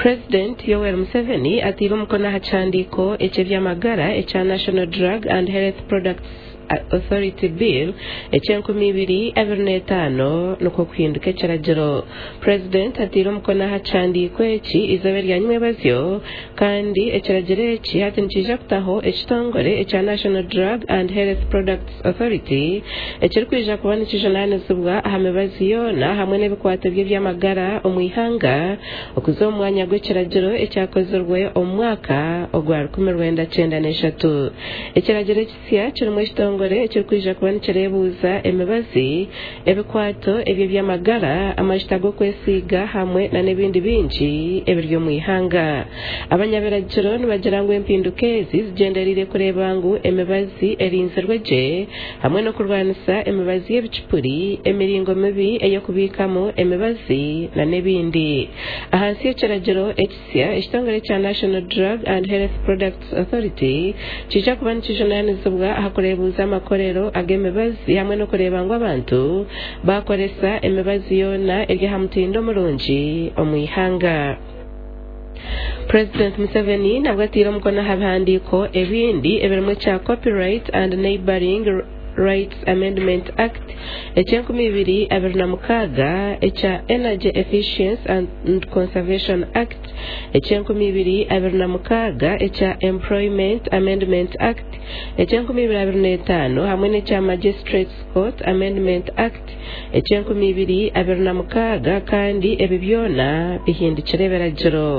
Purezidenti Yoweri Museveni ataire omukono aha kihandiiko eky'eby'amagara ekya National Drug and Health Products Authority Bill eky'enkumi ibiri abiri n'etaano nikwo kuhinduka ekiragiro. Purezidenti ataire omukono aha kihandiiko eki eizooba erya nyimwebazyo kandi ekiragiro eki hati nikiija kutaho ekitongore ekya National Drug and Health Products Authority ekirikwija kuba nikijunaanizibwa aha mibazi yoona hamwe n'ebikwato by'eby'amagara omu ihanga okuza omu mwanya gw'ekiragiro ekyakozirwe omu mwaka ogwa 1993. Ekiragiro ekisya kirimu ekitongore ekirikwija kuba nikireebuuza emibazi, ebikwato eby'eby'amagara, amajuta g'okwesiiga hamwe n'ebindi bingi ebiri omu ihanga. Abanyabiragiro nibagira ngu empinduka ezi zigyendereire kureeba ngu emibazi erinzirwe gye hamwe n'okurwanisa emibazi y'ebicupuri, emiringo mibi ey'okubiikamu emibazi n'ebindi. Ahansi y'ekiragiro ekisya, ekitongore ekya National Drug and Health Products Authority kiija kuba nikijunaanizibwa aha kureebuuza amakorero ag'emibazi hamwe n'okureeba ngu abantu baakoresa emibazi yoona eri aha mutindo murungi omu ihanga. Purezidenti Museveni nabwo ataire omukono aha bihandiiko ebindi ebirimu ekya Copyright and Neighbouring Rights Amendment Act eky'enkumi ibiri abiri na mukaaga, ekya Energy Efficiency and Conservation Act eky'enkumi ibiri abiri na mukaaga, ekya Employment Amendment Act eky'enkumi ibiri abiri n'etaano hamwe n'ekya Magistrates Court Amendment Act eky'enkumi ibiri abiri na mukaaga kandi ebi byona bihindukire ebiragiro.